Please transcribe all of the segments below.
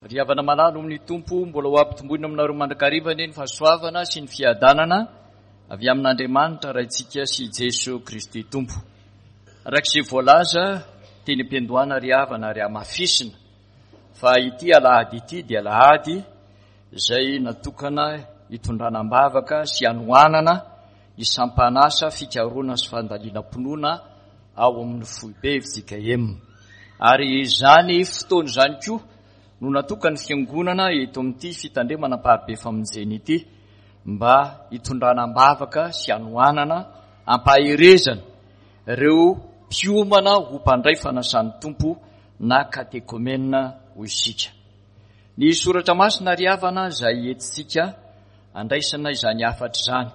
Ry havana malala amin'ny Tompo, mbola ho ampitomboina aminareo mandrakariva anie ny fahasoavana sy ny fiadanana avy amin'Andriamanitra Raintsika sy Jeso Kristy Tompo. Araka izay voalaza teny am-piandohana ry havana ary hamafisina fa ity alahady ity dia alahady izay natokana hitondrana am-bavaka sy hanohanana ny sampan'asa fikarohana sy fandalinam-pinoana ao amin'ny foibe fjkm. Ary izany fotoana izany koa no natokan'ny fiangonana eto amin'ity fitandremana Amparibe Famonjena ity mba hitondrana am-bavaka sy hanohanana ampaherezana ireo mpiomana ho mpandray fanasan'ny Tompo na katekomena hoy isika. Ny soratra masina ry havana izay entintsika andraisana izany hafatra izany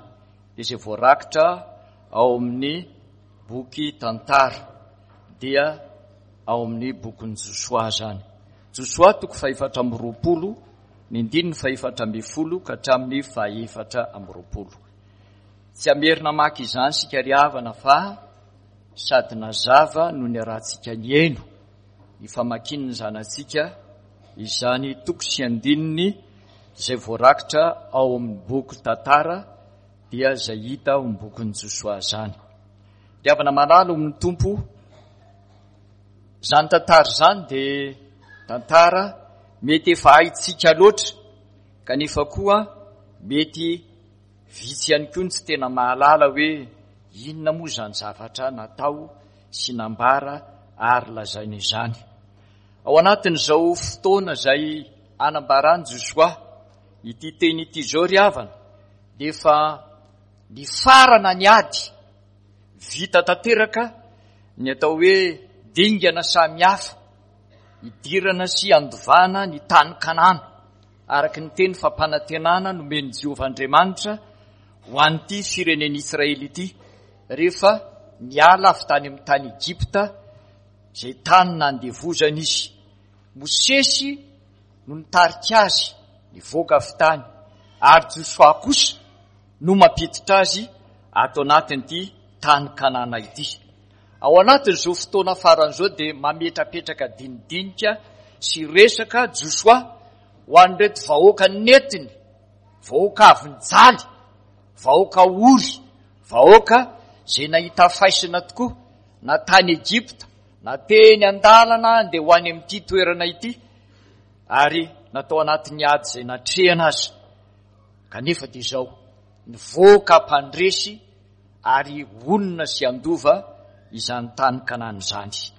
dia izay voarakitra ao amin'ny boky tantara dia ao amin'ny bokin'i Josoa izany. Josoa toko fahefatra amby roapolo, ny andininy fahefatra ambin'ny folo ka hatramin'ny fahefatra amby roapolo. Tsy hamerina hamaky izany isika ry havana fa sady nazava no niarahantsika nihaino ny famakian'ny zanatsika izany toko sy andininy izay voarakitra ao amin'ny boky tantara dia izay hita ao amin'ny bokin'i Josoa izany. Ry havana malala ao amin'ny Tompo, izany tantara izany dia tantara mety efa haintsika loatra kanefa koa mety vitsy ihany koa ny tsy tena mahalala hoe inona moa izany zavatra natao sy nambara ary lazaina izany. Ao anatin'izao fotoana izay anambaran'i Josoa ity teny ity izao ry havana dia efa nifarana ny ady, vita tanteraka ny atao hoe dingana samihafa hidirana sy handovana ny tany Kanana araka ny teny fampanantenana nomen'i Jehovah Andriamanitra ho an'ity firenen'Israely ity rehefa niala avy tany amin'ny tany Egypta izay tany nandevozana izy. Mosesy no nitarika azy nivoaka avy tany ary Josoa kosa no mampiditra azy ato anatin'ity tany Kanana ity. Ao anatin'izao fotoana farany izao dia mametrapetraka dinidinika sy resaka Josoa ho an'ireto vahoaka nentiny, vahoaka avy nijaly, vahoaka ory, vahoaka izay nahita faisana tokoa na tany Egypta na teny an-dalana andeha ho any amin'ity toerana ity ary natao anatin'ny ady izay natrehana aza. Kanefa dia izao, nivoaka mpandresy ary honina sy handova izany tany Kanana izany.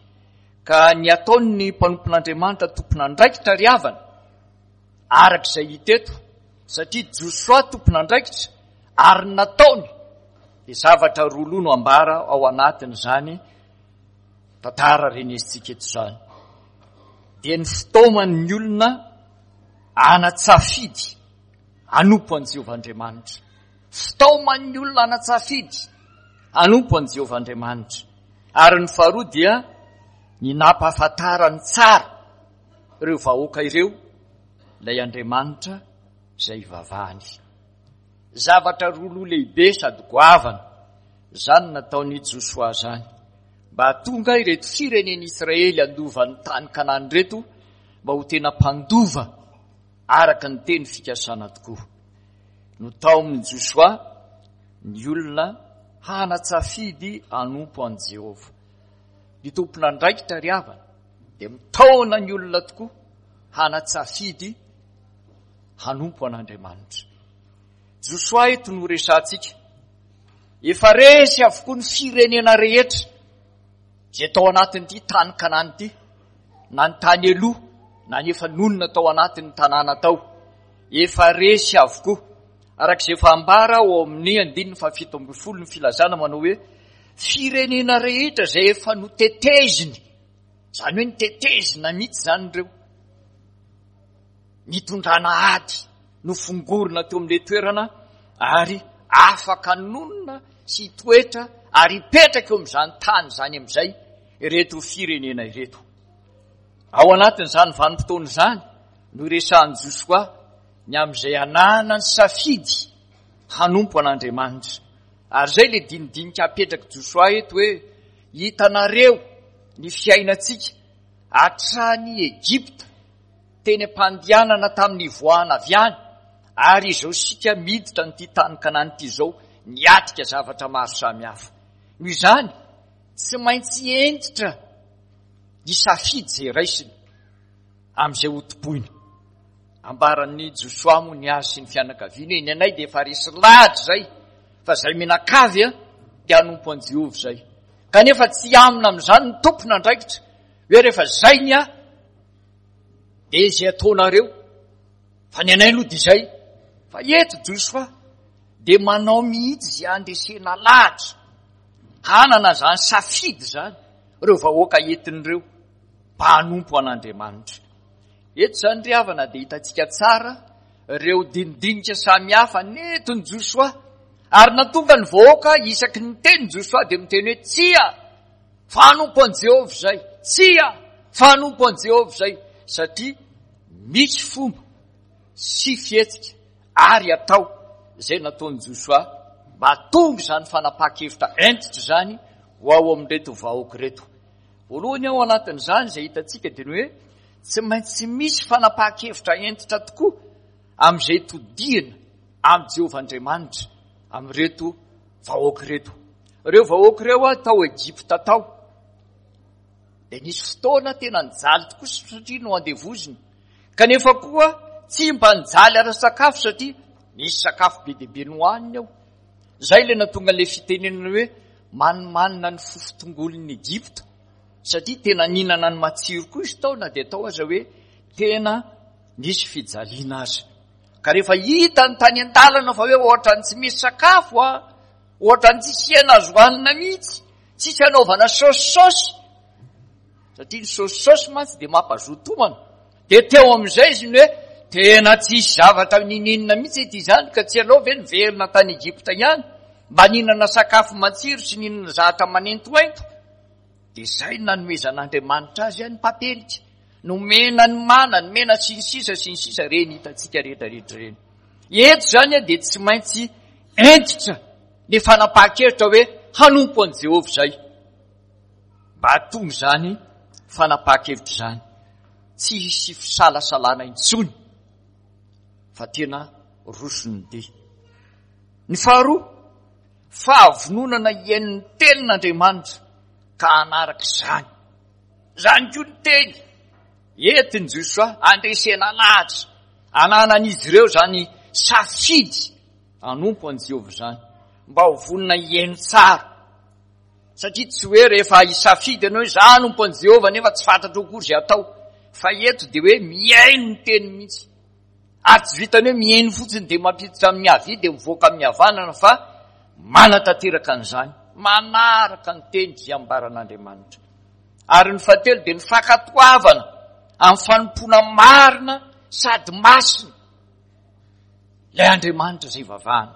Ka ny ataon'ny mpanompon'Andriamanitra tompon'andraikitra ry havana, araka izay hita eto, satria Josoa tompon'andraikitra ary ny nataony dia zavatra roa loha no ambara ao anatin'izany tantara renesintsika eto izany. Dia ny fitaoman'ny olona hanan-tsafidy hanompo an'i Jehovah Andriamanitra. Fitaoman'ny olona hanan-tsafidy hanompo an'i Jehovah Andriamanitra. Ary ny faharoa dia ny nampahafantarany tsara ireo vahoaka ireo ilay Andriamanitra izay ivavahany. Zavatra roa loha lehibe sady goavana izany nataon'i Josoa izany mba hahatonga ireto firenen'Israely handova ny tany Kanana ireto mba ho tena mpandova araka ny teny fikasana tokoa. Notaomin'i Josoa ny olona hanan-tsafidy hanompo an'i Jehovah. Ny tompon'andraikitra ry havana dia mitaona ny olona tokoa hanan-tsafidy hanompo an'Andriamanitra. Josoa eto no resahantsika. Efa resy avokoa ny firenena rehetra izay tao anatin'ity tany Kanana ity, na ny tany aloha na ny efa nonina tao anatin'ny tanàna tao. Efa resy avokoa. Araka izay efa ambara ao amin'ny andininy fahafito ambin'ny folo ny filazana manao hoe firenena rehetra izay efa noteteziny, izany hoe nitetezina mihitsy izany ireo, nitondrana ady, nofongorina teo amin'ilay toerana ary afaka nonina sy hitoetra ary hipetraka eo amin'izany tany izany amin'izay ireto firenena ireto. Ao anatin'izany vanim-potoana izany no iresahan'i Josoa ny amin'izay ananany safidy hanompo an'Andriamanitra. Ary izay ilay dinidinika apetrak'i Josoa eto hoe hitanareo ny fiainantsika hatrany Egypta. teny am-pandehanana tamin'ny nivoahana avy any, ary izao isika miditra an'ity tany Kanana ity izao, niatrika zavatra maro samihafa. Noho izany, tsy maintsy hentitra ny safidy izay raisina amin'izay hotompoina. Ambaran'i Josoa moa ny azy sy ny fianakaviany hoe ny anay dia efa resy lahatra izay fa izay mianakavy dia hanompo an'i Jehovah izay. Kanefa tsy amina amin'izany ny tompon'andraikitra hoe rehefa izay ny ahy dia izay ataonareo fa ny anay aloha dia izay. Fa eto Josoa dia manao mihitsy izay handresena lahatra hanana izany safidy izany ireo vahoaka entiny ireo mba hanompo an'Andriamanitra. Eto izany ry havana dia hitantsika tsara ireo dinidinika samihafa nentin'i Josoa ary natonga ny vahoaka isaky ny miteny Josoa dia miteny hoe tsia fa hanompo an'i Jehovah izay, tsia fa hanompo an'i Jehovah izay, satria misy fomba sy fihetsika ary atao izay nataon'i Josoa mba hahatonga izany fanapahan-kevitra hentitra izany ho ao amin'ireto vahoaka ireto. Voalohany ao anatin'izany izay hitantsika dia ny hoe tsy maintsy misy fanapahan-kevitra hentitra tokoa amin'izay todihana amin'i Jehovah Andriamanitra amin'ireto vahoaka ireto. Ireo vahoaka ireo tao Egypta tao dia nisy fotoana tena nijaly tokoa satria noandevozina. Kanefa koa tsy mba nijaly ara-sakafo satria nisy sakafo be dia be nohaniny ao. Izay ilay nahatonga an'ilay fitenenana hoe manimanina ny fofon-tongolon'i Egypta, satria tena nihinana ny matsiro koa izy tao na dia tao aza hoe tena nisy fijaliana aza. Ka rehefa hitany tany an-dalana fa hoe ohatran'ny tsy misy sakafo a, ohatran'ny tsisy hena azo hanina mihitsy, tsisy anaovana saosisaosy, satria ny saosisaosy mantsy dia mampazoto homana. Dia teo amin'izay izy ny hoe tena tsisy zavatra nininona mihitsy ety izany ka tsy aleo ve niverina tany Egypta ihany mba nihinana sakafo matsiro sy nihinana zavatra manentoento. Dia izay no nanomezan'Andriamanitra azy ny papelika, nomena ny mana, nomena sy ny sisa sy ny sisa ireny hitantsika rehetra rehetra ireny. Eto izany dia tsy maintsy hentitra ny fanapahan-kevitra hoe hanompo an'i Jehovah izay. Mba hahatonga izany fanapahan-kevitra izany tsy hisy fisalasalana intsony fa tena roso ny dia. Ny faharoa, fahavononana hihaino ny tenin'Andriamanitra ka hanaraka izany. Izany koa ny teny entin'i Josoa handresena lahatra, ananan'izy ireo izany safidy hanompo an'i Jehovah izany, mba ho vonona hihaino tsara. Satria tsy hoe rehefa hisafidy ianao hoe za hanompo an'i Jehovah nefa tsy fantatrao akory izay atao. Fa eto dia hoe mihaino ny teny mihitsy. Ary tsy vitan'ny hoe mihaino fotsiny dia mampiditra amin'ny havia dia mivoaka amin'ny havanana fa manatanteraka an'izany, manaraka ny teny izay ambaran'Andriamanitra. Ary ny fahatelo dia ny fankatoavana amin'ny fanompoana marina sady masina ilay Andriamanitra izay ivavahana.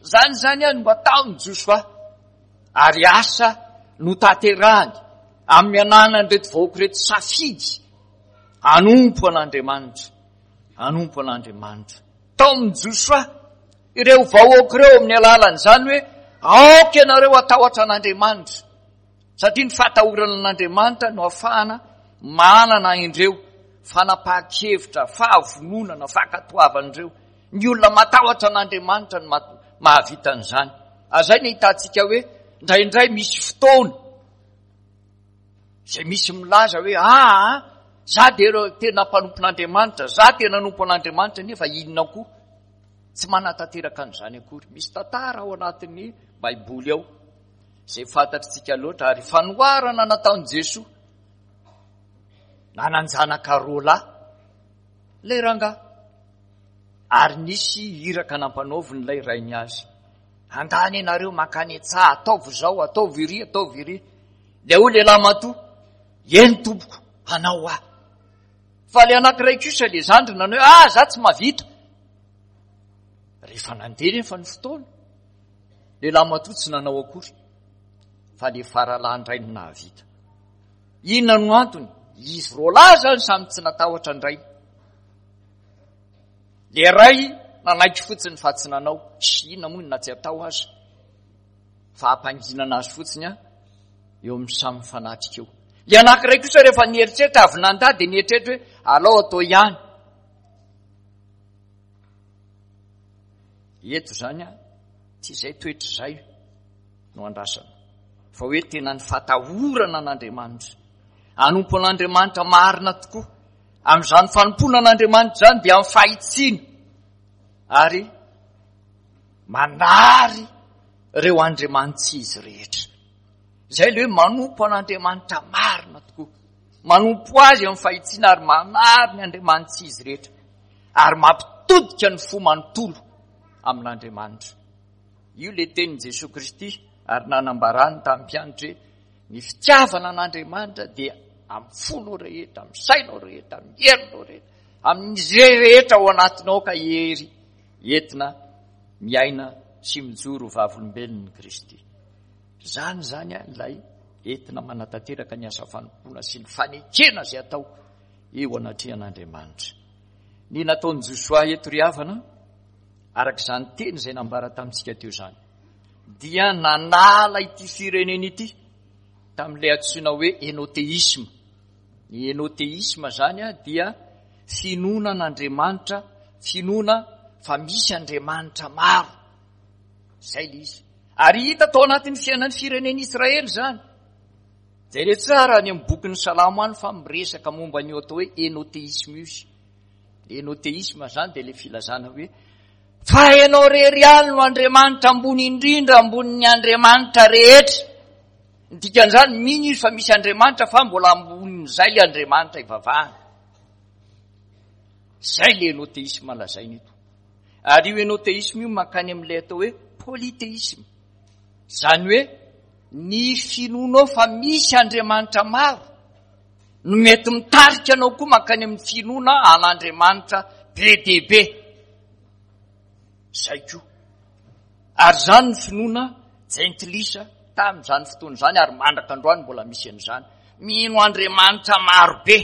Izany izany no ataon'i Josoa ary asa notanterahany amin'ny ananan'ireto vahoaka ireto safidy hanompo an'Andriamanitra, hanompo an'Andriamanitra. Tao amin'i Josoa ireo vahoaka ireo amin'ny alalan'izany hoe aoka ianareo hatahotra an'Andriamanitra. Satria ny fahatahorana an'Andriamanitra no ahafahana manana indreo fanapahan-kevitra, fahavononana, fankatoavana ireo. Ny olona matahotra an'Andriamanitra no mahavita an'izany. Ary izay no ahitantsika hoe indraindray misy fotoana izay misy milaza hoe aa ah, za dia tena mpanompon'Andriamanitra, za tena nanompo an'Andriamanitra nefa inona koa? Tsy manatanteraka an'izany akory. Misy tantara ao anatin'ny Baiboly ao. izay fantatritsika loatra ary fanoharana nataon'i Jesoa nanan-janaka roalahy ilay rangahy ary nisy iraka nampanaoviny ilay rainy azy andany ianareo mankany an-tsaha ataovy izao ataovy iry ataovy iry dia hoy lehilahy matoa eny tompoko hanao aho fa le anankiray kosa le zandry nanao hoe ah za tsy mahavita rehefa nandeha nefa ny fotoana Lehilahy matoa tsy nanao akory fa le faralahy indray no nahavita. Inona no antony? Izy roalahy zany samy tsy natahotra ny rainy. Le ray nanaiky fotsiny fa tsy nanao. Sy inona moa na tsy atao aza. Fa ampanginana azy fotsiny a eo amin'ny samy mifanatrika eo. Le anankiray kosa rehefa nieritreritra avy nandà dia nieritreritra hoe alao atao ihany. Eto izany an, tsy izay toetra izay no andrasana, fa hoe tena ny fatahorana an'Andriamanitra. Hanompo an'Andriamanitra marina tokoa. Amin'izany fanompoana an'Andriamanitra izany dia amin'ny fahitsiana ary manary ireo andriamanitsy izy rehetra. Izay ilay hoe manompo an'Andriamanitra marina tokoa. Manompo azy amin'ny fahitsiana ary manary ny andriamanitsy izy rehetra. Ary mampitodika ny fo manontolo amin'Andriamanitra. Io ilay tenin'i Jesoa Kristy ary nanambarany tamin'ny mpianatra hoe ny fitiavana an'Andriamanitra dia amin'ny fonao rehetra, amin'ny sainao rehetra, amin'ny herinao rehetra, amin'izay rehetra ao anatinao ka hery entina miaina sy mijoro ho vavolombelon'i Kristy. Izany izany ilay entina manatanteraka ny asa fanompoana sy ny fanekena izay atao eo anatrehan'Andriamanitra. Ny nataon'i Josoa eto ry havana, araka izany teny izay nambara tamintsika teo izany, dia nanala ity firenena ity tamin'ilay antsoina hoe enoteisma. Ny enoteisma izany dia finoana an'Andriamanitra, finoana fa misy Andriamanitra maro. Izay ilay izy. Ary hita tao anatin'ny fiainan'ny firenena Israely izany. Jereo tsara any amin'ny bokin'ny Salamo any fa miresaka momba an'io atao hoe enoteisme io izy. Enoteisme izany dia ilay filazana hoe fa ianao irery ihany no Andriamanitra ambony indrindra ambonin'ny Andriamanitra rehetra. Ny dikan'izany, mino izy fa misy Andriamanitra fa mbola ambonin'izay ilay Andriamanitra ivavahana. Izay ilay enoteisme lazaina eto. Ary io enoteisme io mankany amin'ilay atao hoe polytheisme. Izany hoe ny finoanao fa misy Andriamanitra maro no mety mitarika anao koa mankany amin'ny finoana an'Andriamanitra be dia be. Izay koa. Ary izany ny finoana jentilisa tamin'izany fotoana izany ary mandraka androany mbola misy an'izany. Mino Andriamanitra maro be.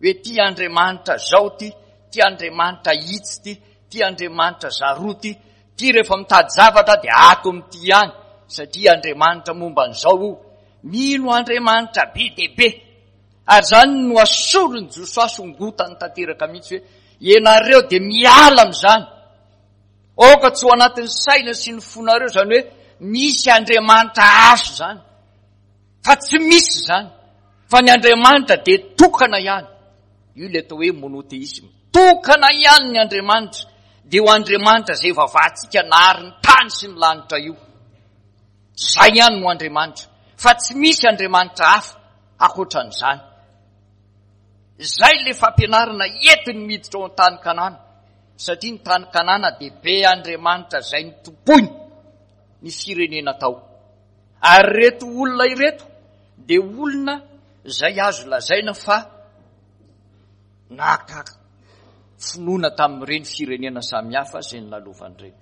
Hoe ty Andriamanitra zao ty, ty Andriamanitra itsy ty, ty Andriamanitra zaroa ty, ty rehefa mitady zavatra dia ato amin'ity ihany, satria Andriamanitra momba an'izao io. Mino Andriamanitra be dia be. Ary izany no asoron'i Josoa songotany tanteraka mihitsy hoe ianareo dia miala amin'izany. Aoka tsy ho anatin'ny saina sy ny fonareo izany hoe misy Andriamanitra hafa izany. Fa tsy misy izany. Fa ny Andriamanitra dia tokana ihany. Io ilay atao hoe monotheisme. Tokana ihany ny Andriamanitra. Dia io Andriamanitra izay vavahantsika nahary ny tany sy ny lanitra io. Izay ihany no Andriamanitra. Fa tsy misy Andriamanitra hafa ankoatran'izany. Izay ilay fampianarana entiny miditra ao an-tany Kanana. Satria ny tany Kanana dia be Andriamanitra izay nitompoiny ny firenena tao. Ary ireto olona ireto dia olona izay azo lazaina fa naka finoana tamin'ireny firenena samihafa izay nolalovany ireny.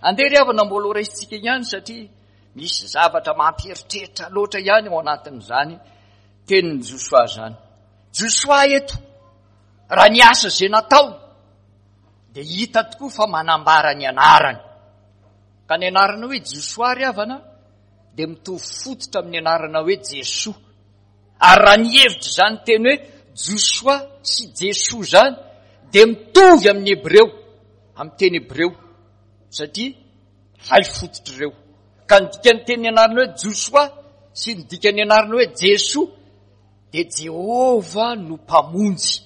Andeha ry havana mbola ho raisintsika ihany satria misy zavatra mampieritreritra loatra ihany ao anatin'izany tenin'i Josoa izany. Josoa eto, raha ny asa izay natao dia hita tokoa fa manambara ny anarany. Ka ny anarana hoe Josoa ry havana dia mitovy fototra amin'ny anarana hoe Jesoa. Ary raha ny hevitra izany teny hoe Josoa sy Jesoa izany dia mitovy amin'ny Hebreo, amin'ny teny Hebreo, satria ray fototra ireo. Ka ny dikan'ny teny anarana hoe Josoa sy ny dikan'ny anarana hoe Jesoa dia Jehovah no Mpamonjy.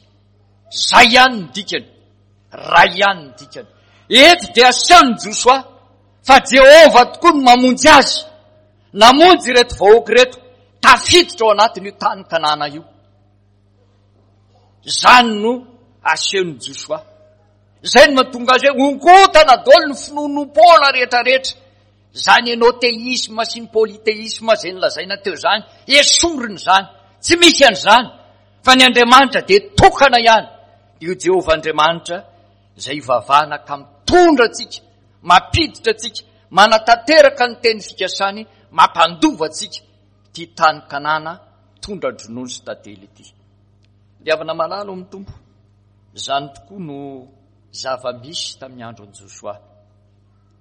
Izay ihany ny dikany. Ray ihany ny dikany. Eto dia asehon'i Josoa fa Jehovah tokoa no mamonjy azy. Namonjy ireto vahoaka ireto tafiditra ao anatin'io tany Kanana io. Izany no asehon'i Josoa. Izay no mahatonga azy hoe honkotana daholo ny finoanoam-poana rehetrarehetra. Izany enoteisma sy ny polytheisme izay nolazaina teo izany, esorina izany. Tsy misy an'izany. Fa ny Andriamanitra dia tokana ihany. Io Jehovah Andriamanitra izay ivavahana ka mitondra antsika, mampiditra antsika, manatanteraka ny teny fikasany, mampandova antsika ity tany Kanana tondra-dronono sy tantely ity. Ry havana malala ao amin'ny Tompo, izany tokoa no zava-misy tamin'ny andron'i Josoa.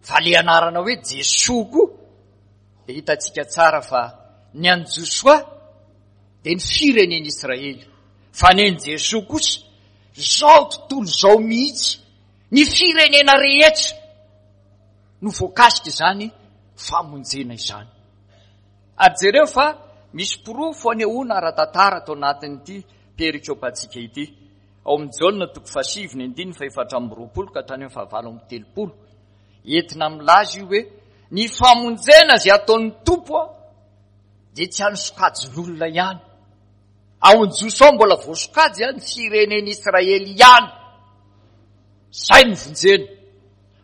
Fa le anarana hoe Jesoa koa dia hitantsika tsara fa ny an'i Josoa dia ny firenen'Israely. Fa nen'i Jesoa kosa, izao tontolo izao mihitsy, ny firenena rehetra no voakasika izany famonjena izany. Ary jereo fa misy porofo anehoana ara-tantara ato anatin'ity perikopantsika ity. Ao amin'ny Jaona toko fahasivy ny andininy faha-24 ka hatrany amin'ny faha-38. Entina milaza io hoe ny famonjena izay ataon'ny Tompo dia tsy an'ny sokajin'olona ihany. Ao amin'ny Jiosy ao mbola voasokajy ny firenen'Israely ihany. Izay no vonjena.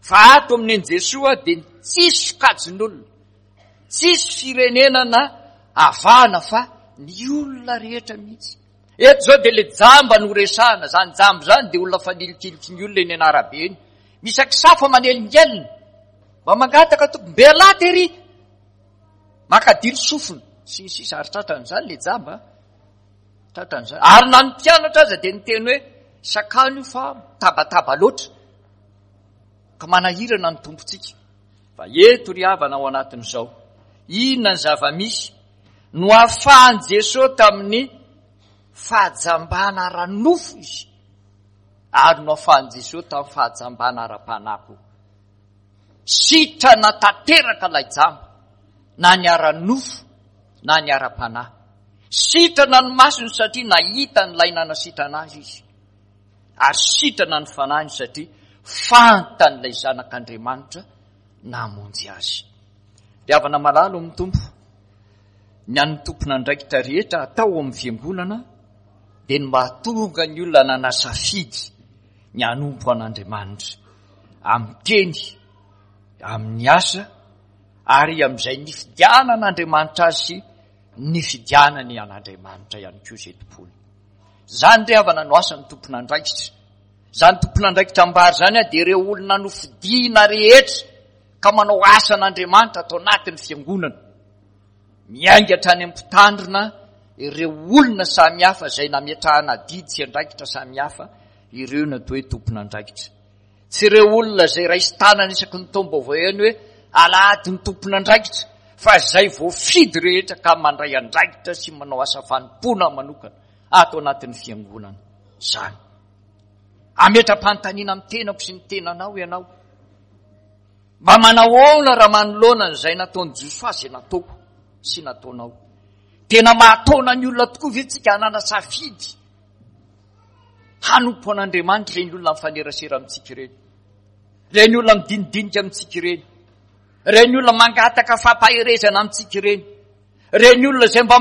Fa ato amin'ny an'i Jesoa dia tsisy sokajin'olona. Tsisy firenena na avahana fa ny olona rehetra mihitsy. Eto izao dia le jamba no resahana, izany jamba izany dia olona fanilikiliky ny olona eny an'arabe eny. Misy akisafa manelingelina, mba mangataka tompoko, mbe lahy tery, makadilo sofina, sy ny sisa, ary tratran'izany le jamba, tratran'izany. Ary na ny mpianatra aza dia niteny hoe, sakano io fa mitabataba loatra, ka manahirana ny tompontsika. Fa eto ry havana ao anatin'izao, inona ny zava-misy no ahafahan'i Jesoa tamin'ny fahajambana ara-nofo izy ary no ahafahan'i Jesoa tamin'ny fahajambana ara-panahy koa. Sitrana tanteraka ilay jamba, na ny ara-nofo na ny ara-panahy. Sitrana ny masony satria nahita an'ilay nanasitrana azy izy. Ary sitrana ny fanahiny satria fantan'ilay Zanak'Andriamanitra namonjy azy. Ry havana malala ao amin'ny Tompo, ny an'ny tompon'andraikitra rehetra atao ao amin'ny fiangonana dia ny mahatonga ny olona nanasafidy ny hanompo an'Andriamanitra amin'ny teny, amin'ny asa ary amin'izay nifidianan'Andriamanitra azy sy nifidianany an'Andriamanitra ihany koa izay tompony. Izany ry havana no asan'ny tompon'andraikitra. Izany tompon'andraikitra ambara izany dia ireo olona nofidiana rehetra ka manao asan'Andriamanitra ato anatin'ny fiangonana. Miainga hatrany amin'ny mpitandrina ireo olona samihafa izay nametrahana adidy sy andraikitra samihafa ireo no atao hoe tompon'andraikitra. Tsy ireo olona izay raisin-tanana isaky ny taom-baovao ihany hoe alahady ny tompon'andraikitra fa izay voafidy rehetra ka mandray andraikitra sy manao asa fanompoana manokana ato anatin'ny fiangonana izany. Ametra-panontaniana amin'ny tenako sy ny tenanao ianao. Mba manahoana raha manoloana an'izay nataon'i Josoa izay nataoko sy nataonao? Tena mahataona ny olona tokoa ve tsika hanana safidy hanompo an'Andriamanitra ireny olona mifanerasera amintsika ireny? Ireny olona midinidinika amintsika ireny? Ireny olona mangataka fampaherezana amintsika ireny? Ireny olona izay mba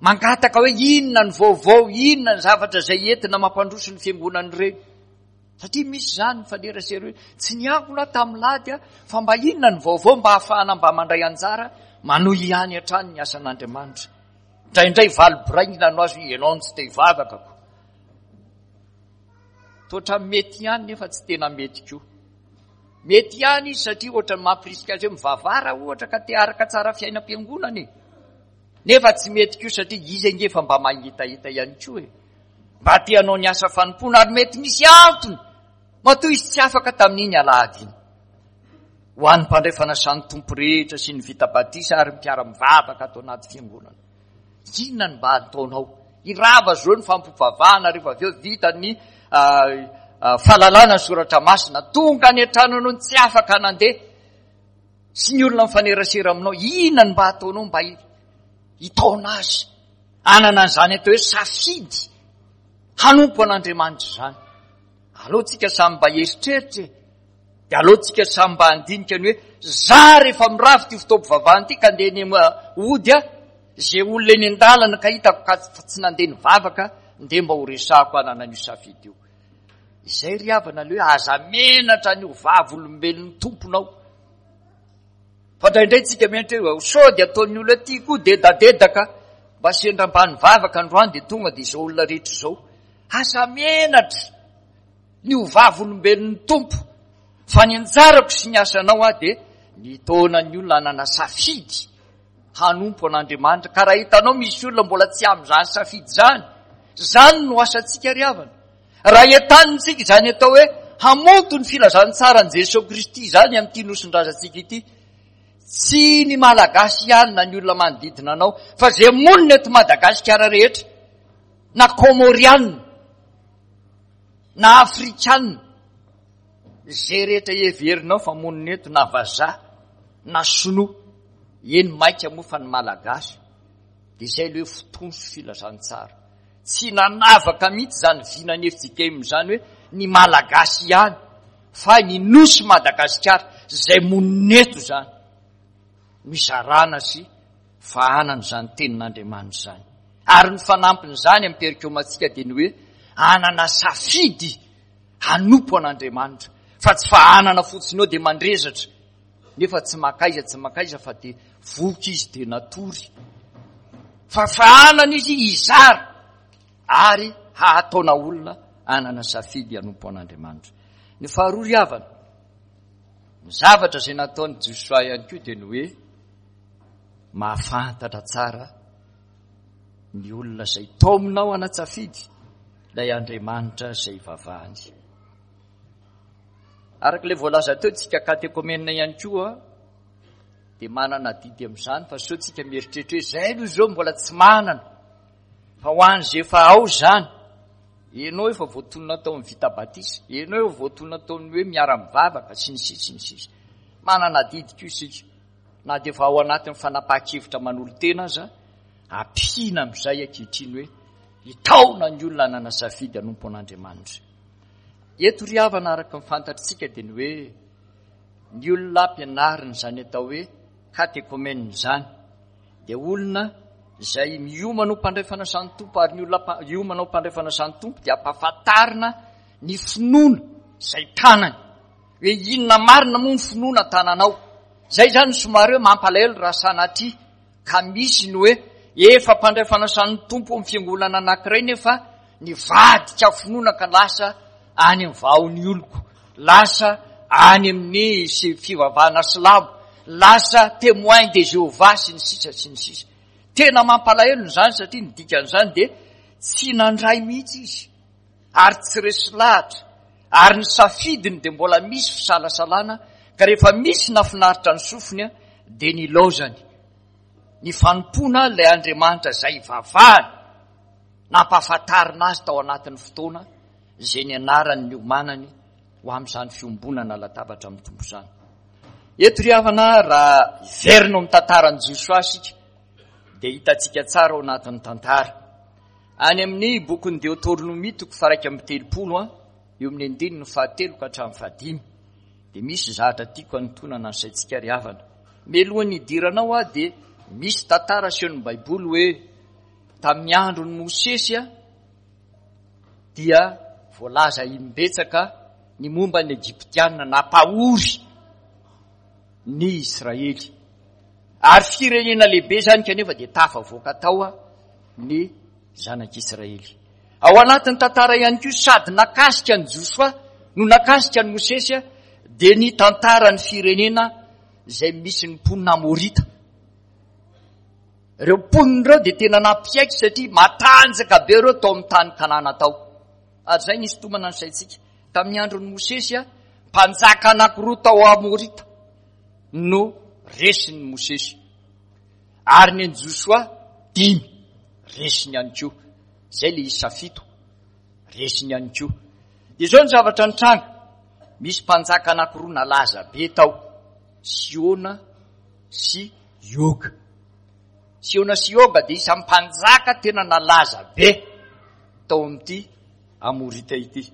mangataka hoe inona ny vaovao, inona ny zavatra izay entina mampandroso ny fiangonana ireny? Satria misy izany mifanerasera hoe tsy niangona aho tamin'ny lady aho fa mba inona ny vaovao mba hahafahana mba mandray anjara manohy ihany hatrany ny asan'Andriamanitra. Indraindray valy boraingina no azo ianao no tsy te hivavaka ko. Toatra mety ihany nefa tsy tena mety koa. Mety ihany izy satria ohatra ny mampirisika azy hoe mivavara ohatra ka te araka tsara fiainam-piangonana e. Nefa tsy mety koa satria izy ange efa mba mahitahita ihany koa e. Mba te hanao ny asa fanompoana ary mety misy antony matoa izy tsy afaka tamin'iny alahady iny. Ho an'ny mpandray fanasan'ny Tompo rehetra sy ny vita batisa ary ny mpiara-mivavaka ato anaty fiangonana. Inona no mba ataonao? Hirava zao ny fampivavahana rehefa avy eo vita ny fahalalana ny soratra masina. Tonga any an-tranonao ny tsy afaka nandeha sy ny olona mifanerasera aminao. Inona no mba ataonao mba hitaona azy? Hanana an'izany atao hoe safidy hanompo an'Andriamanitra izany. Aleo tsika samy mba hieritreritra e. Dia aleo tsika samy mba handinika ny hoe za rehefa mirava ity fotoam-pivavahana ity ka andeha eny hody aho, izay olona eny an-dalana ka hitako ka tsy nandeha nivavaka, ndeha mba ho resahako hanana an'io safidy io. Izay ry havana aleo hoe aza menatra ny ho vavolombelon'ny Tomponao. Fa indraindray tsika miantra hoe sao dia ataon'ny olona aty koa dedadedaka mba sendra mba nivavaka androany dia tonga dia izao olona rehetra izao. Aza menatra ny ho vavolombelon'ny Tompo fa ny anjarako sy ny asanao aho dia nitaona ny olona hanana safidy hanompo an'Andriamanitra. Ka raha hitanao misy olona mbola tsy amin'izany safidy izany, izany no asantsika ry havana. Raha entanintsika izany atao hoe hamonto ny filazantsaran'i Jesoa Kristy izany amin'ity nosin-drazantsika ity, tsy ny Malagasy ihany na ny olona manodidina anao, fa izay monina eto Madagasikara rehetra. na Kômôrianina, na Afrikanina, izay rehetra heverinao fa monina eto, na vazaha, na sinoa, eny mainka moa fa ny Malagasy, dia izay ilay hoe fotoana sy filazantsara. Tsy nanavaka mihitsy izany vinan'ny FJKM izany hoe ny Malagasy ihany, fa ny Nosy Madagasikara izay monina eto izany no izarana sy fahanana izany tenin'Andriamanitra izany. Ary ny fanampin'izany amin'ny perikomantsika dia ny hoe hanana safidy hanompo an'Andriamanitra, fa tsy fahanana fotsiny eo dia mandrezatra, nefa tsy makaiza tsy makaiza fa dia voky izy dia natory. Fa fahanana izy hizara ary hahataona olona hanana safidy hanompo an'Andriamanitra. Ny faharoa ry havana, ny zavatra izay nataon'i Josoa ihany koa dia ny hoe mahafantatra tsara ny olona izay taominao hanan-tsafidy ilay Andriamanitra izay ivavahany. Araka ilay voalaza teo, tsika katekomena ihany koa dia manana adidy amin'izany fa sao tsika mieritreritra hoe izay aloha izao mbola tsy manana fa ho an'izay efa ao izany ianao efa voatonona tao amin'ny vita batisa, ianao efa voatonona tao amin'ny hoe miara-mivavaka sy ny sisa sy ny sisa. Manana adidy koa isika na dia efa ao anatin'ny fanapahan-kevitra manolo-tena aza, ampiana amin'izay ankehitriny hoe hitaona ny olona hanana safidy hanompo an'Andriamanitra. Eto ry havana araka ny fantatritsika dia ny hoe ny olona ampianarina izany atao hoe katekomena izany dia olona izay miomana ho mpandray fanasan'ny Tompo ary ny olona hiomana ho mpandray fanasan'ny Tompo dia ampahafantarina ny finoana izay tanany hoe inona marina moa ny finoana tananao. Izay izany somary hoe mampalahelo raha sanatria ka misy ny hoe efa mpandray fanasan'ny Tompo amin'ny fiangonana anankiray nefa nivadika finoana ka lasa any amin'ny vahon'ny oloko, lasa any amin'ny fivavahana silamo, lasa témoin de Jéhovah sy ny sisa sy ny sisa. Tena mampalahelo izany satria ny dikan'izany dia tsy nandray mihitsy izy ary tsy resy lahatra ary ny safidiny dia mbola misy fisalasalana ka rehefa misy nafinaritra ny sofiny dia nilaozany ny fanompoana ilay Andriamanitra izay ivavahany nampahafantarina azy tao anatin'ny fotoana izay nianarany niomanany ho amin'izany fiombonana latabatra amin'ny Tompo izany. Eto ry havana raha hiverina ao amin'ny tantaran'i Josoa isika dia hitantsika tsara ao anatin'ny tantara. Any amin'ny bokin'ny Deoteronomia toko faharaika amby telopolo an, eo amin'ny andininy fahatelo ka hatramin'ny fahadimy dia misy zavatra tiako hanintonana ny saintsika ry havana. Mialohan'ny hidiranao aho dia misy tantara asehon'ny Baiboly hoe Tamin'ny andron'i Mosesy dia voalaza imbetsaka ny momba ny Egyptiana nampahory ny Israely. Ary firenena lehibe izany kanefa dia tafavoaka tao ny zanak'Israely. Ao anatin'ny tantara ihany koa sady nakasika an'i Josoa no nakasika an'i Mosesy dia ny tantaran'ny firenena izay misy ny mponina Amorita. Ireo mponina ireo dia tena nampiaiky satria matanjaka be ireo tao amin'ny tany Kanana tao. Ary izay nisintomana ny saintsika. Tamin'ny andron'i Mosesy, mpanjaka anankiroa tao Amorita no resin'i Mosesy. Ary ny an'i Josoa dimy resiny ihany koa. Izay ilay isa fito resiny ihany koa. Dia izao ny zavatra nitranga. Misy mpanjaka anankiroa nalaza be tao, Siona sy Yoga. Siona sy Yoga dia isan'ny mpanjaka tena nalaza be tao amin'ity Amorita ity.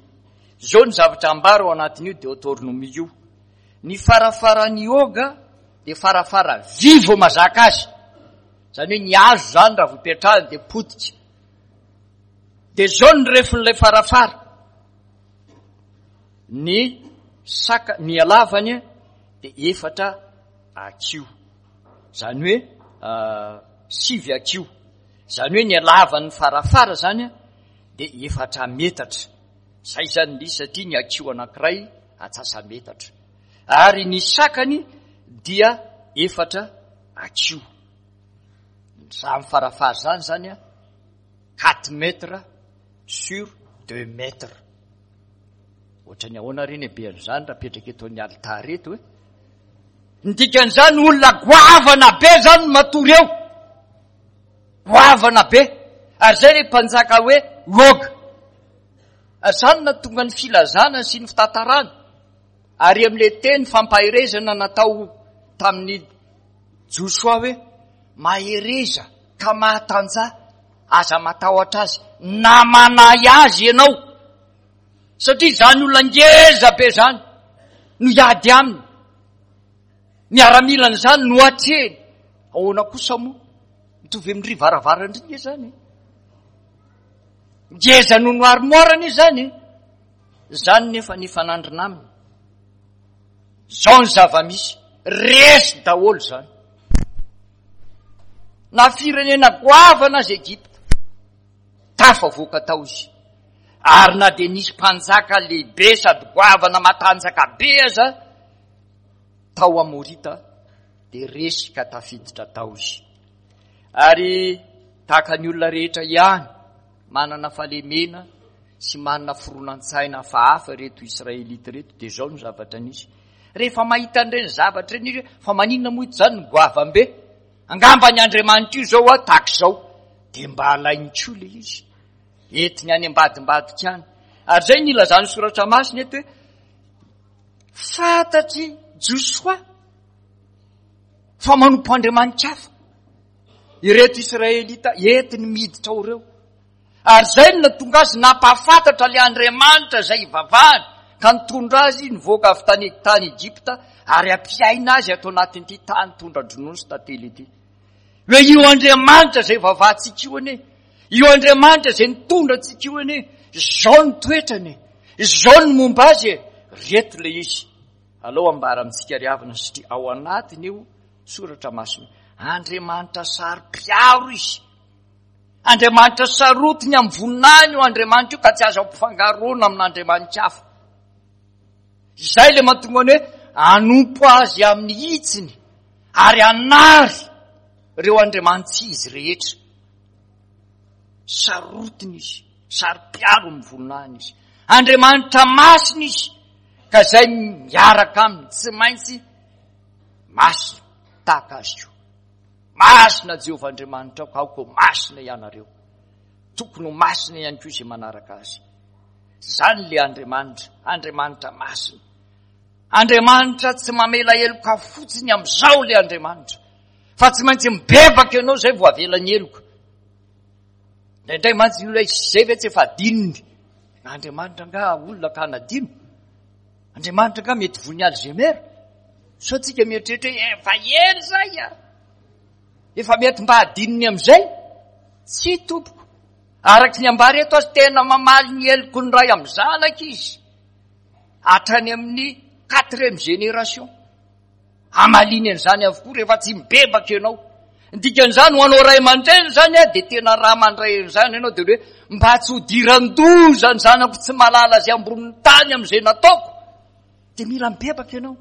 Izao ny zavatra ambara ao anatin'io Deoteronomia io. Ny farafaran'i Yoga dia farafara vy vao mazaka azy. Izany hoe ny hazo izany raha vao ipetrahany dia potika. Dia izao ny refin'ilay farafara. Ny saka, ny halavany dia efatra hakiho. Izany hoe sivy hakiho. Izany hoe ny halavan'ny farafara izany dia efatra metatra. Izay izany ny satria ny hakiho anankiray atsasa-metatra. Ary ny sakany dia efatra hakiho. Izany farafara izany izany quatre mètres sur deux mètres. Ohatran'ny ahoana re ny habean'izany raha apetraka eto amin'ny alitara eto e? Ny dikan'izany olona goavana be zany no matory eo. Goavana be. Ary zay le mpanjaka hoe Oga. Izany no nahatonga ny filazana sy ny fitantarana ary amin'ilay teny fampaherezana natao tamin'i Josoa hoe mahereza ka mahatanjaha, aza matahotra azy na manahy azy ianao. Satria izany olona ngeza be izany no hiady aminy. Miaramilany izany no atrehiny. Ahoana kosa moa? Mitovy amin-dry varavaran-dry nge izany e. Ngeza noho ny armoire anie izany e. Izany nefa nifanandrina aminy. Izao ny zava-misy, resy daholo izany. Na firenena goavana aza Egypta, tafavoaka tao izy. Ary na dia nisy mpanjaka lehibe sady goavana matanjaka be aza tao Amorita, dia resy ka tafiditra tao izy. Ary tahaka ny olona rehetra ihany, manana fahalemena sy manana fironan-tsaina hafahafa ireto Israelita ireto, dia izao no zavatra nisy. Rehefa mahita an'ireny zavatra ireny izy hoe, fa maninona moa ito izany no goavam-be? Angamba ny Andriamanitra io izao a, tahaka izao. Dia mba alainy koa ilay izy. Entiny any ambadimbadika any. Ary izay no ilazan'ny soratra masina eto hoe, fantatr'i Josoa fa manompo Andriamanitra hafa ireto Israelita entiny miditra ao ireo. Ary izay no nahatonga azy nampahafantatra ilay Andriamanitra izay ivavahany ka nitondra azy nivoaka avy tany tany Egypta ary hampiaina azy ato anatin'ity tany tondra-dronono sy tantely ity. Hoe io Andriamanitra izay ivavahantsika io anie, io Andriamanitra izay nitondra antsika io anie, izao ny toetrany e, izao ny momba azy e, reto ilay izy. Alao ambara amintsika ry havana satria ao anatiny io soratra masina. Andriamanitra saro-piaro izy. Andriamanitra sarotiny amin'ny voninahiny io Andriamanitra io ka tsy azo ampifangaroana amin'Andriamanitra hafa. Izay ilay mahatonga ny hoe hanompo azy amin'ny hitsiny ary hanary ireo andriamani-tsy izy rehetra. Sarotiny izy, saro-piaro amin'ny voninahiny izy. Andriamanitra masina izy ka izay miaraka aminy tsy maintsy masina tahaka azy koa. Masina Jehovah Andriamanitrao ka aoka ho masina ianareo. Tokony ho masina ihany koa izay manaraka azy. Izany le Andriamanitra, Andriamanitra masina. Andriamanitra tsy mamela heloka fotsiny amin'izao le Andriamanitra. Fa tsy maintsy mibebaka ianao izay vao avela ny heloka. Indraindray mantsy ny olona izay ve tsy efa adinony. Andriamanitra angaha olona ka hanadino? Andriamanitra angaha mety voa ny Alzheimer? Sao tsika mieritreritra hoe efa ela izay a! Efa mety mba hadinony amin'izay? Tsia tompoko. Araka ny ambara eto azy tena mamaly ny heloky ny ray amin'ny zanaka izy. Hatrany amin'ny quatrième génération. Hamaliany an'izany avokoa rehefa tsy mibebaka ianao. Ny dikan'izany ho anao ray aman-dreny izany a, dia tena raha mandray an'izany ianao dia hoe mba tsy hodiran-doza ny zanako tsy mahalala izay ambonin'ny tany amin'izay nataoko. Dia mila mibebaka ianao.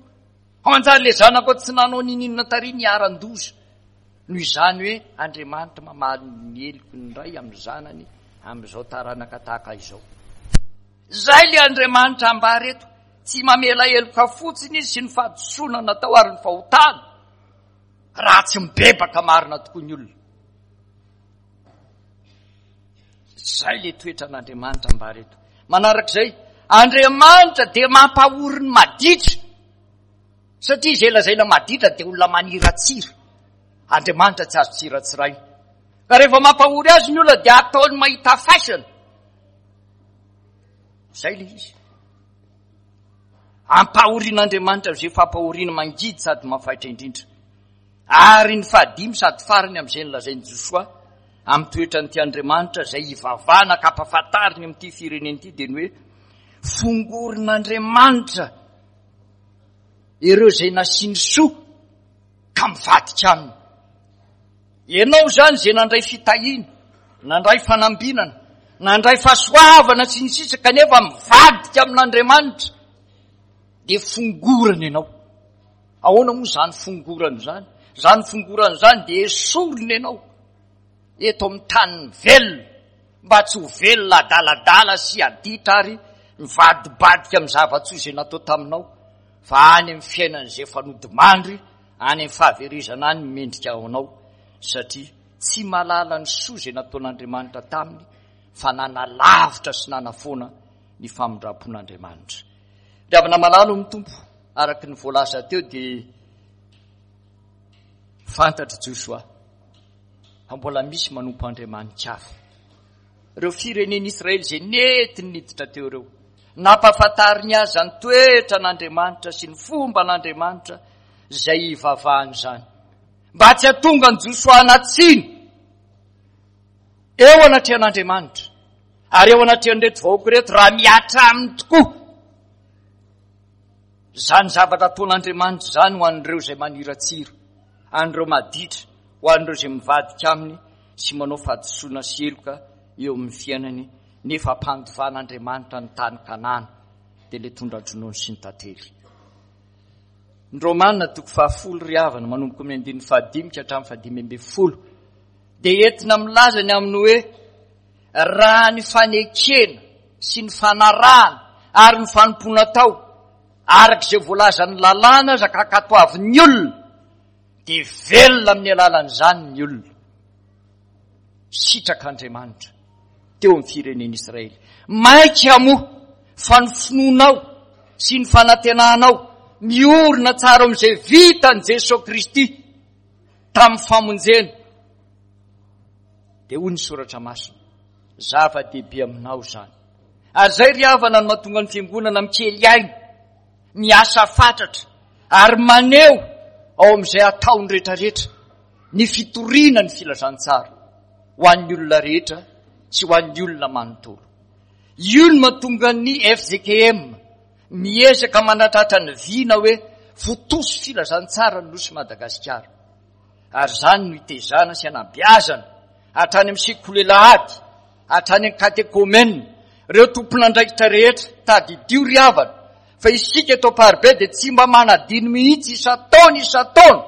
Hanjary ilay zanako tsy nanao niniana tary niharan-doza. Noho izany hoe Andriamanitra mamaly ny heloky ny ray amin'ny zanany amin'izao taranaka tahaka izao. Izay ilay Andriamanitra ambara eto. Tsy mamela heloka fotsiny izy sy ny fahadisoana natao ary ny fahotana raha tsy mibebaka marina tokoa ny olona. Izay ilay toetran'Andriamanitra ambara eto. Manarak'izay, Andriamanitra dia mampahory ny maditra. Satria izay lazaina maditra dia olona maniratsira. Andriamanitra tsy azo tsiratsiraina. Ka rehefa mampahory azy ny olona dia ataony mahita faisana. Izay ilay izy. Ampahorian'Andriamanitra amin'izay fampahoriana mangidy sady mafaitra indrindra. Ary ny fahadimy sady farany amin'izay nolazain'i Josoa amin'ny toetran'ity Andriamanitra izay hivavahana ka ampahafantariny amin'ity firenena ity dia ny hoe fongorin'Andriamanitra ireo izay nasiany soa ka mivadika aminy. Ianao izany izay nandray fitahiana, nandray fanambinana, nandray fahasoavana sy ny sisa kanefa mivadika amin'Andriamanitra dia fongorana ianao. Ahoana moa izany fongorana izany? Izany fongorana izany dia esorina ianao eto amin'ny tanin'ny velona mba tsy ho velona adaladala sy aditra ary mivadibadika amin'ny zava-tsoa izay natao taminao fa any amin'ny fiainan'izay efa nodimandry any amin'ny fahaverezana any mendrika ho anao satria tsy mahalala ny soa izay nataon'Andriamanitra taminy. fa nanalavitra sy nanafoana ny famindram-pon'Andriamanitra. Ry havana malalo amin'ny Tompo, araka ny voalaza teo dia fantatr'i Josoa fa mbola misy manompo andriamanitra hafa. Ireo firenen'Israely izay nentiny niditra teo ireo, nampahafantariny azy ny toetran'Andriamanitra sy ny fomban'Andriamanitra izay hivavahany izany. Mba tsy hahatonga an'i Josoa hanatsiny eo anatrehan'Andriamanitra ary eo anatrehan'ireto vahoaka ireto raha mihatra aminy tokoa izany zavatra ataon'Andriamanitra izany ho an'ireo izay maniratsira, an'ireo maditra, ho an'ireo izay mivadika aminy sy manao fahadisoana sy heloka eo amin'ny fiainany nefa ampandovan'Andriamanitra ny tany Kanana dia ilay tondra-dronono sy ny tantely. Ny Romana toko fahafolo ry havana manomboka amin'ny andininy fahadimy ka hatramin'ny fahadimy ambin'ny folo dia entina milaza ny amin'ny hoe raha ny fanekena sy ny fanarahana ary ny fanompoana atao araka izay voalazan'ny lalàna aza ka ankatoavin'ny olona dia velona amin'ny alalan'izany ny olona. Sitrak'Andriamanitra teo amin'ny firenen'Israely. Mainka moa fa ny finoanao sy ny fanantenanao miorina tsara amin'izay vitan'i Jesoa Kristy tamin'ny famonjena. Dia hoy ny soratra masina, zava-dehibe aminao izany. Ary izay ry havana no mahatonga ny fiangonana mikely aina, miasa fatratra ary maneho ao amin'izay ataony rehetrarehetra ny fitoriana ny filazantsara ho an'ny olona rehetra sy ho an'ny olona manontolo. Io no mahatonga ny FJKM miezaka manatratra ny vina hoe votoso filazantsara ny Nosy Madagasikara. Ary izany no itezana sy anabeazana hatrany amin'ny sekoly alahady, hatrany amin'ny katekomena, ireo tompon'andraikitra rehetra. Tadidio ry havana fa isika eto Amparibe dia tsy mba manadino mihitsy isan-taona isan-taona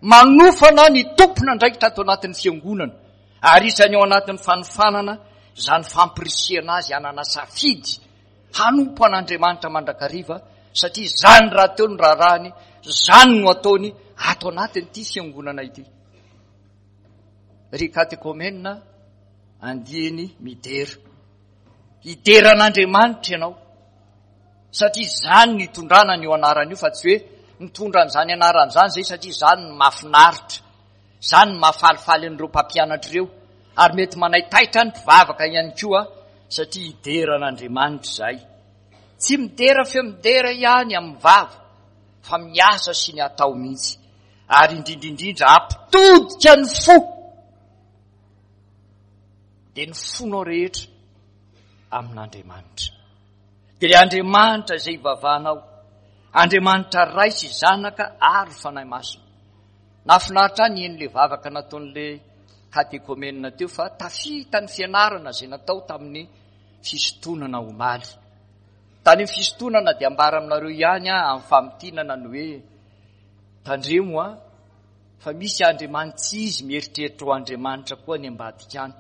manofana ny tompon'andraikitra ato anatin'ny fiangonana ary isany ao anatin'ny fanofanana izany fampirisihana azy hanana safidy hanompo an'Andriamanitra mandrakariva satria izany rahateo ny raharahany, izany no ataony ato anatin'ity fiangonana ity. Ry katekomena andiany midera. Hidera an'Andriamanitra ianao satria izany no itondrana an'io anarana io fa tsy hoe mitondra an'izany anarana izany izay satria izany no mahafinaritra, izany no mahafalifaly an'ireo mpampianatra ireo ary mety manaitaitra ny mpivavaka ihany koa satria hidera an'Andriamanitra izahay. Tsy midera feo midera ihany amin'ny vava fa miasa sy ny atao mihitsy ary indrindra indrindra hampitodika ny fo dia ny fonao rehetra amin'Andriamanitra. Dia ilay Andriamanitra izay ivavahanao, Andriamanitra Ray sy Zanaka ary Fanahy Masina. Nahafinaritra ahy nihaino ilay vavaka nataon'ilay katekomenina teo fa tafita ny fianarana izay natao tamin'ny fisintonana omaly. Tany amin'ny fisintonana dia ambara aminareo ihany aho amin'ny famintinana ny hoe tandremo a fa misy andriamani-tsy izy mieritreritra ho andriamanitra koa any ambadika any.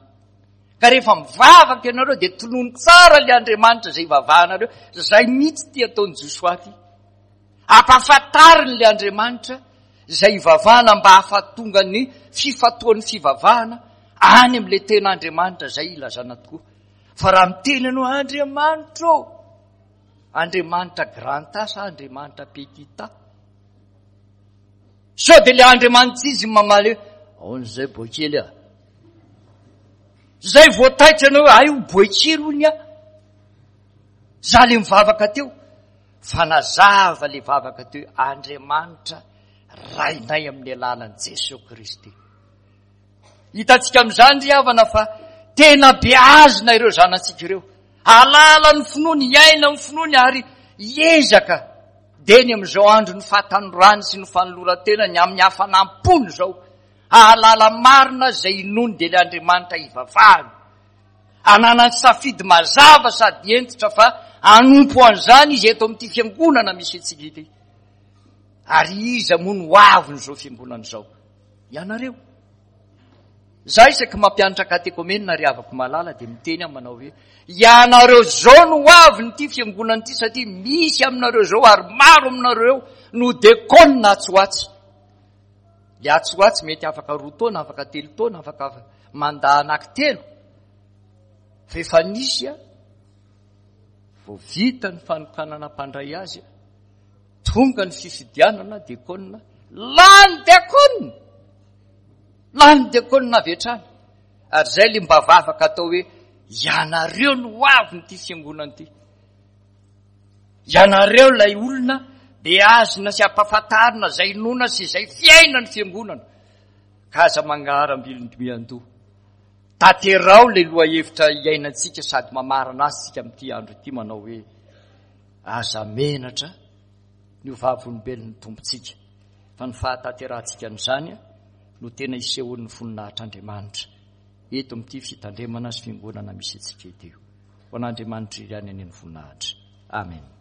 Ka rehefa mivavaka ianareo dia tonony tsara ilay Andriamanitra izay ivavahanareo. Izay mihitsy ity ataon'i Josoa ity. Ampahafantariny ilay Andriamanitra izay ivavahana mba hahafatonga ny fifatoan'ny fivavahana any amin'ilay tena Andriamanitra izay ilazana tokoa. Fa raha miteny ianao Andriamanitra ô, Andriamanitra grand A sa Andriamanitra petit a? Sao dia ilay Andriamanitra izy mamaly hoe ahoana izay boakely a? Zay vao taitra ianao hoe ay ho boakely hono aho. Za le mivavaka teo. Fa nazava le vavaka teo hoe Andriamanitra Rainay amin'ny alalan'i Jesoa Kristy. Hitantsika amin'izany ry havana fa tena beazina ireo zanatsika ireo. Hahalala ny finoany, hiaina amin'ny finoany ary hiezaka dia eny amin'izao andron'ny fahatanorany sy ny fanoloran-tenany amin'ny hafanam-pony izao. Hahalala marina izay inoany dia ilay Andriamanitra ivavahany. Ananany safidy mazava sady hentitra fa hanompo an'izany izy eto amin'ity fiangonana misy antsika ity. Ary iza moa no avin'izao fiangonana izao? Ianareo. Za isaky mampianatra katekomena ry havako malala dia miteny aho manao hoe ianareo izao no avin'ity fiangonana ity satria misy aminareo izao ary maro aminareo no dekona atsy ho atsy. Le atsy ho atsy mety afaka roa taona, afaka telo taona, afaka mandat anaky telo. Fa efa nisy a, vao vita ny fanokanana mpandray azy a, tonga ny fifidianana diakona, lany diakona! Lany diakona avy hatrany. Ary izay ilay mba vavaka atao hoe, ianareo no ho avin'ity fiangonana ity. Ianareo ilay olona beazina sy ampahafantarina izay inoana sy izay fiainan'ny fiangonana. Ka aza mangaharam-bilon-miandoha. Tanterao ilay lohahevitra iainantsika sady mamarana azy tsika amin'ity andro ity manao hoe aza menatra ny ho vavolombelon'ny Tompontsika fa ny fahatanterahantsika an'izany no tena isehoan'ny voninahitr'Andriamanitra eto amin'ity fitandremana sy fiangonana misy antsika ity. Ho an'Andriamanitra irery ihany anie ny voninahitra. Amen.